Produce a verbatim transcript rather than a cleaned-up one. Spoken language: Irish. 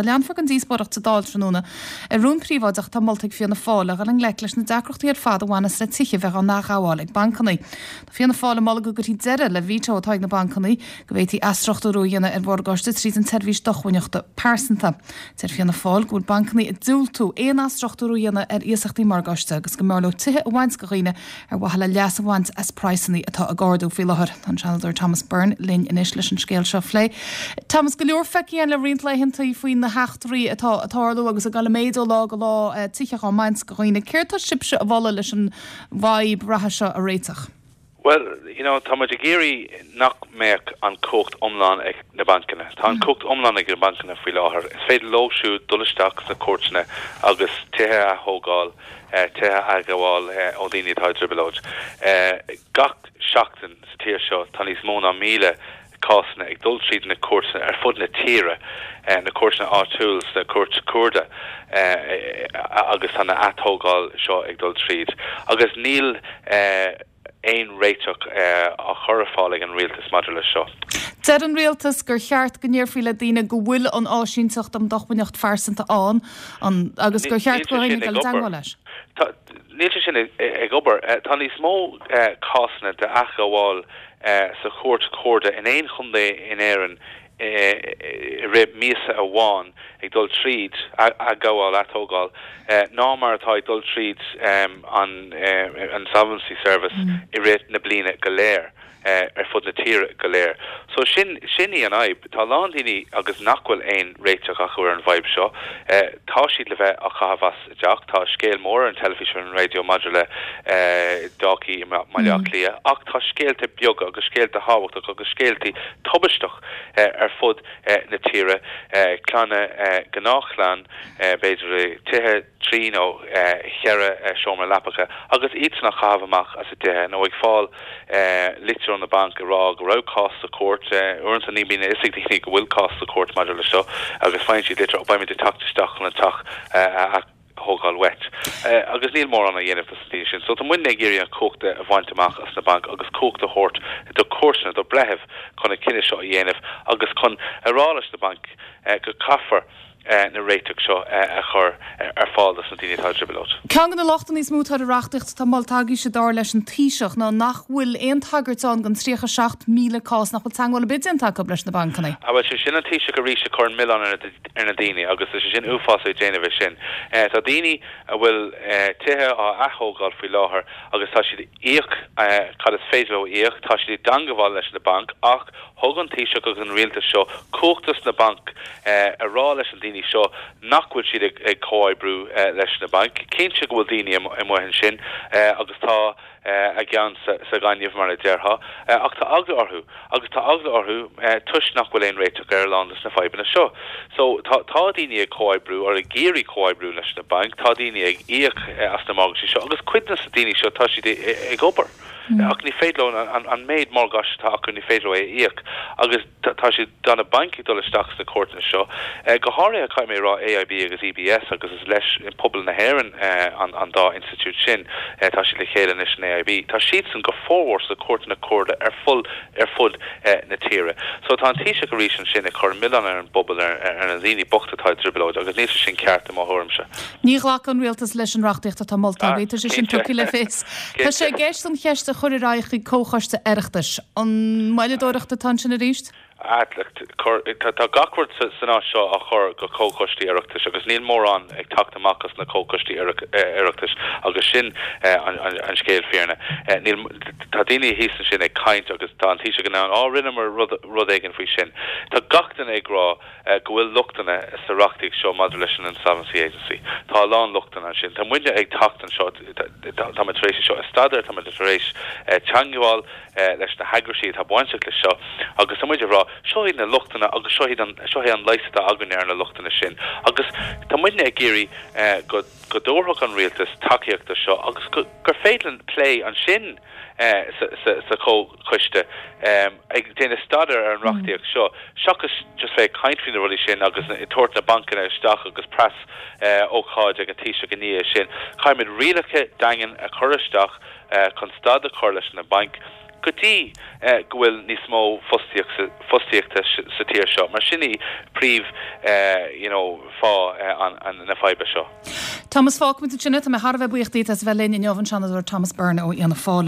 Gaeltachta. Leanfar den díospóireacht sa Dáil tráthnóna ar rún príobháideach atá molta ag Fianna Fáil le dhul i ngleic leis na deacrachtaí ar fad a bhaineas le tithe bheith á n-athghabháil ag bancanna. Tá Fianna Fáil ag moladh go gcuirfí deireadh le veto atá ag na bancanna go bhféadfaí athstruchtúrú a dhéanamh ar mhorgáiste tríd an tseirbhís dócmhainneachta pearsanta. Deir Fianna Fáil go bhfuil bancanna ag diúltú aon athstruchtúrú a dhéanamh ar iasachtaí morgáiste agus go mb'fhearr leo tithe a bhaint de dhaoine ar mhaithe le leas a bhaint as praghsanna atá ag ardú faoi láthair. Tá an Seanadóir Thomas Byrne linn anois leis an scéal seo a phlé. Thomas go leor feicthe le roinnt laethanta faoi na heachtraí atá ag tarlú agus ag dul i méid ó lá go lá eh, tithe á mbaint de dhaoine. Céard tá sibhse a mholadh leis an bhfadhb reatha seo a réiteach. Well, you know, tá muid ag iarraidh nach mbeadh an cumhacht iomlán ag na bancanna. Tá an cumhacht iomlán ag na bancanna faoi láthair. Is féidir leo siúd dul isteach sna cúirteanna agus tithe a thógáil, eh, tithe a ghabháil eh, ó daoine atá i dtrioblóid. Eh, gach seachtain sa tír seo tá níos mó ná míle cásanna ag dul tríd na cúirteanna ar fud na tíre eh, na cúirteanna áitiúil na cúirt cuarda eh, agus tá na atógáil seo ag dul tríd. Agus níl eh, aon réiteach eh, á chur ar fáil ag an rialtas maidir leis seo. Deir an rialtas gur cheart go ndéarfaí le daoine go bhfuil an áisínteacht um dócmhainneacht phearsanta ann an agus gur cheart Níl go sé sin dul ag obair. teagmháil leis. Tá- Níl sé sin ag ag obair Eh, tá níos mó eh, cásanna de athghabháil eh, sa chúirt chuarda in aon chontae in Éirinn eh, i rith míosa amháin ag dul tríd a athghabháil atógáil eh, ná mar atá ag dul tríd um, an eh, an Insolvency Service mm. i rith na bliana go léir. eh, ar fud na tíre go léir. So sin sin í an fhadhb Tá lán daoine agus nach bhfuil aon réiteach acu ar an bhfadhb seo. Eh, tá siad le bheith á chaitheamh as a dteach, tá scéal mór an teilifís ar an raidió maidir le eh, Dalkey i Baile Átha Cliath, ach tá scéalta beaga agus scéalta tábhachtacha agus scéalta tubaisteach eh, ar fud eh, na tíre eh, clanna eh, gnáthchlann eh, b'fhéidir tithe trí nó eh, cheithre eh, seomra leapa agus iad á gcaitheamh amach as a dtithe nó ag fáil eh, litir ón banc ag rá go raibh cás sa chúirt uaireanta ní bhíonn a fhios ag daoine go bhfuil cás sa chúirt maidir le seo agus faigheann siad litir beimid ag teacht isteach chun an teach eh, a thógáil uait. Eh, agus níl mórán a dhéanamh dos na sin. So tá muid ag iarraidh an cumhacht a bhaint amach as na bainc agus cumhacht a thabhairt do chúirteanna do bhreithimh chun an cinneadh seo a dhéanamh agus chun a rá leis na bainc eh, go caithfear eh, na réiteach seo eh, a chur eh, ar fáil dos na daoine atá i dtrioblóid. Ceann de na lochtanna is mó atá ar an reachtaíocht atá molta agaibhse dar leis an Taoiseach ná nach bhfuil aon tagairt ann don tríocha seacht míle cás nach bhfuil teagmháil ar bith déanta acu leis na bancanna. A bhfuil sé sin an Taoiseach arís ag cur an milleán ar na- ar na daoine agus is sé sin uafás ag déanamh é sin. Eh, Tá daoine a bhfuil eh, tithe á atógáil faoi láthair agus tá siad íoc eh, cad is féidir leo íoc, tá siad i dteagmháil leis na bainc ach thug an Taoiseach agus an rialtas seo cumhacht dos na bainc eh, a rá leis an daoine seo nach bhfuil siad ag, ag comhoibriú eh, leis na bainc. Cinnte go bhfuil daoine amuigh ansin eh, agus tá eh, a gceann sa, sa ghaineamh mar a déarfá, eh, ach tá eagla orthu agus tá eagla orthu eh, toisc nach bhfuil aon réiteach ar lán na fadhbanna seo. So tá tá daoine ag comhoibriú ar ag iarraidh comhoibriú leis na bainc, tá daoine ag íoc eh, as na mortgages seo agus cuid de na daoine seo tá siad ag obair. Mm. Ach ní féidir leo an, an, an méid mortgage atá acu ní féidir leo é a íoc agus tá siad tá na bainc ag dul isteach sna cúirteanna seo. Eh, go háirithe caithfidh mé rá AIB agus EBS agus is leis in pobal na hÉireann eh, an, an dá institiúid sin eh, tá siad le chéile anois in AIB. Tá siad san go formhór sa cúirteanna cuarda ar fud ar fud eh, na tíre. So tá an Taoiseach arís ansin ag cur milleán ar an bpobal ar, ar, ar na daoine bochta atá i dtrioblóid agus níl sé sin ceart i mo thuairimse. Ní ghlacfaidh an rialtas leis an reachtaíocht atá molta Ah, agaibh, tá sé sin cinnte. tugtha le fios. Tá sé i gceist an cheist a chur ar aghaidh chuig comhchoiste Oireachtais. An moilleadóireacht atá ansin arís? Tá gach rud san áit seo á chur go comhchoistí Oireachtais agus níl mórán ag teacht amach as na comhchoistí Oireachtais agus sin an, an, an scéal fírinne. Níl tá daoine thíos ansin ag caint agus tá an Taoiseach ann á rinneamar rud, rud éigin faoi sin. Tá gach duine ag rá go bhfuil lochtanna sa reachtaíocht seo maidir leis an Insolvency Agency. Tá lán lochtanna ansin. Tá muidne ag teacht anseo tá tar éis seo a staidéar tá tar éis teagmháil leis na heagraisí atá bainteach leis seo agus tá muid ag rá seo iad na lochtanna agus seo iad an seo é an leigheas atá againn ar na lochtanna sin. Agus tá muidne ag iarraidh go go dtabharfadh an rialtas tacaíocht do seo agus gur féidir linn plé ansin eh, sa, sa, sa chomhchoiste um, ag déanamh staidéar ar an reachtaíocht seo seachas just bheith caint faoi na rudaí sin agus tabhairt na bancanna isteach agus preas eh, ócáid ag an Taoiseach i ndiaidh sin. Caithfimid rialacha daingean a chur isteach eh, chun stad a chur leis na bainc. go dtí go bhfuil níos mó fostaíochta sa tír seo. Mar sin í príomh you know, fáth na faidhbe seo. Thomas fágfaimid ansin é tá mé thar a bheith buíoch díot as bheith linn inniu an Seanadóir Thomas Byrne ó Fhianna Fáil.